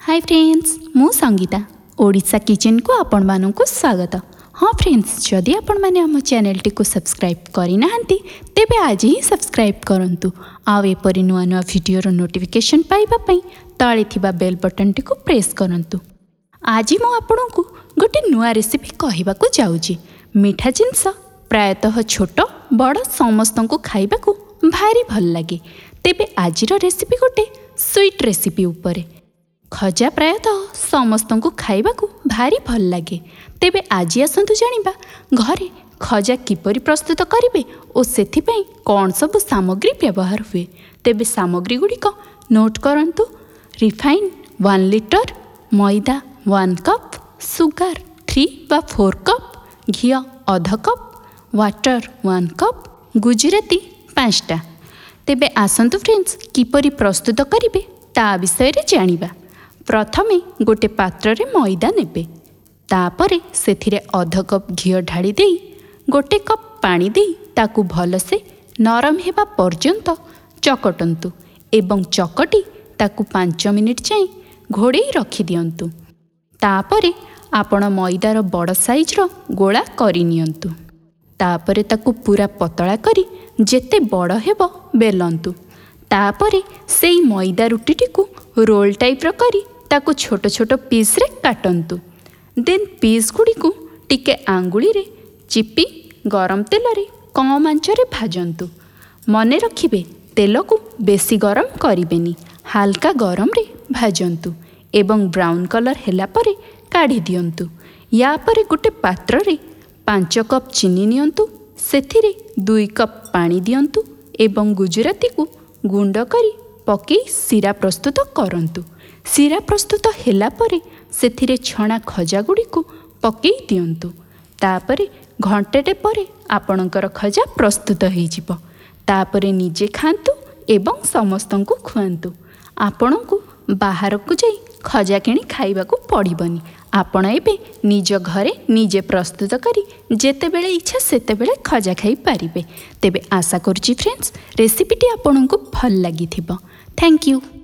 High friends, ମୁଁ ସଙ୍ଗୀତା। ଓଡ଼ିଶା କିଚେନ୍କୁ ଆପଣମାନଙ୍କୁ ସ୍ୱାଗତ। ହଁ ଫ୍ରେଣ୍ଡସ୍, ଯଦି ଆପଣମାନେ ଆମ ଚ୍ୟାନେଲଟିକୁ ସବସ୍କ୍ରାଇବ୍ କରିନାହାନ୍ତି, ତେବେ ଆଜି ହିଁ ସବସ୍କ୍ରାଇବ୍ କରନ୍ତୁ। ଆଉ ଏପରି ନୂଆ ନୂଆ ଭିଡ଼ିଓର ନୋଟିଫିକେସନ୍ ପାଇବା ପାଇଁ ତଳେ ଥିବା ବେଲ୍ ବଟନ୍ଟିକୁ ପ୍ରେସ୍ କରନ୍ତୁ। ଆଜି ମୁଁ ଆପଣଙ୍କୁ ଗୋଟେ ନୂଆ ରେସିପି କହିବାକୁ ଯାଉଛି। ମିଠା ଜିନିଷ ପ୍ରାୟତଃ ଛୋଟ ବଡ଼ ସମସ୍ତଙ୍କୁ ଖାଇବାକୁ ଭାରି ଭଲ ଲାଗେ। ତେବେ ଆଜିର ରେସିପି ଗୋଟେ ସୁଇଟ୍ ରେସିପି ଉପରେ। ଖଜା ପ୍ରାୟତଃ ସମସ୍ତଙ୍କୁ ଖାଇବାକୁ ଭାରି ଭଲ ଲାଗେ। ତେବେ ଆଜି ଆସନ୍ତୁ ଜାଣିବା ଘରେ ଖଜା କିପରି ପ୍ରସ୍ତୁତ କରିବେ ଓ ସେଥିପାଇଁ କ'ଣ ସବୁ ସାମଗ୍ରୀ ବ୍ୟବହାର ହୁଏ। ତେବେ ସାମଗ୍ରୀ ଗୁଡ଼ିକ ନୋଟ୍ କରନ୍ତୁ। ରିଫାଇନ୍ 1 ଲିଟର, ମଇଦା 1 କପ୍, ସୁଗାର 3 ବା 4 କପ୍, ଘିଅ ଅଧ କପ୍, ୱାଟର 1 କପ୍, ଗୁଜୁରାତି 5ଟା। ତେବେ ଆସନ୍ତୁ ଫ୍ରେଣ୍ଡସ୍, କିପରି ପ୍ରସ୍ତୁତ କରିବେ ତା ବିଷୟରେ ଜାଣିବା। ପ୍ରଥମେ ଗୋଟେ ପାତ୍ରରେ ମଇଦା ନେବେ। ତାପରେ ସେଥିରେ ଅଧ କପ୍ ଘିଅ ଢାଳି ଦେଇ ଗୋଟେ କପ୍ ପାଣି ଦେଇ ତାକୁ ଭଲସେ ନରମ ହେବା ପର୍ଯ୍ୟନ୍ତ ଚକଟନ୍ତୁ ଏବଂ ଚକଟି ତାକୁ 5 ମିନିଟ୍ ଯାଏଁ ଘୋଡ଼େଇ ରଖିଦିଅନ୍ତୁ। ତାପରେ ଆପଣ ମଇଦାର ବଡ଼ ସାଇଜ୍ର ଗୋଳା କରିନିଅନ୍ତୁ। ତାପରେ ତାକୁ ପୁରା ପତଳା କରି ଯେତେ ବଡ଼ ହେବ ବେଲନ୍ତୁ। ତାପରେ ସେଇ ମଇଦା ରୁଟିଟିକୁ ରୋଲ୍ ଟାଇପ୍ର କରି ତାକୁ ଛୋଟ ଛୋଟ ପିସ୍ରେ କାଟନ୍ତୁ। ଦେନ୍ ପିସ୍ ଗୁଡ଼ିକୁ ଟିକେ ଆଙ୍ଗୁଳିରେ ଚିପି ଗରମ ତେଲରେ କମ୍ ଆଞ୍ଚରେ ଭାଜନ୍ତୁ। ମନେ ରଖିବେ, ତେଲକୁ ବେଶୀ ଗରମ କରିବେନି, ହାଲକା ଗରମରେ ଭାଜନ୍ତୁ ଏବଂ ବ୍ରାଉନ୍ କଲର୍ ହେଲା ପରେ କାଢ଼ି ଦିଅନ୍ତୁ। ୟା ପରେ ଗୋଟେ ପାତ୍ରରେ 5 କପ୍ ଚିନି ନିଅନ୍ତୁ, ସେଥିରେ 2 କପ୍ ପାଣି ଦିଅନ୍ତୁ ଏବଂ ଗୁଜୁରାତିକୁ ଗୁଣ୍ଡ କରି ପକାଇ ଶିରା ପ୍ରସ୍ତୁତ କରନ୍ତୁ। ଶିରା ପ୍ରସ୍ତୁତ ହେଲା ପରେ ସେଥିରେ ଛଣା ଖଜା ଗୁଡ଼ିକୁ ପକାଇ ଦିଅନ୍ତୁ। ତାପରେ ଘଣ୍ଟାଟେ ପରେ ଆପଣଙ୍କର ଖଜା ପ୍ରସ୍ତୁତ ହେଇଯିବ। ତାପରେ ନିଜେ ଖାଆନ୍ତୁ ଏବଂ ସମସ୍ତଙ୍କୁ ଖୁଆନ୍ତୁ। ଆପଣଙ୍କୁ ବାହାରକୁ ଯାଇ ଖଜା କିଣି ଖାଇବାକୁ ପଡ଼ିବନି। ଆପଣ ଏବେ ନିଜ ଘରେ ନିଜେ ପ୍ରସ୍ତୁତ କରି ଯେତେବେଳେ ଇଚ୍ଛା ସେତେବେଳେ ଖଜା ଖାଇପାରିବେ। ତେବେ ଆଶା କରୁଛି ଫ୍ରେଣ୍ଡସ୍, ରେସିପିଟି ଆପଣଙ୍କୁ ଭଲ ଲାଗିଥିବ। Thank you.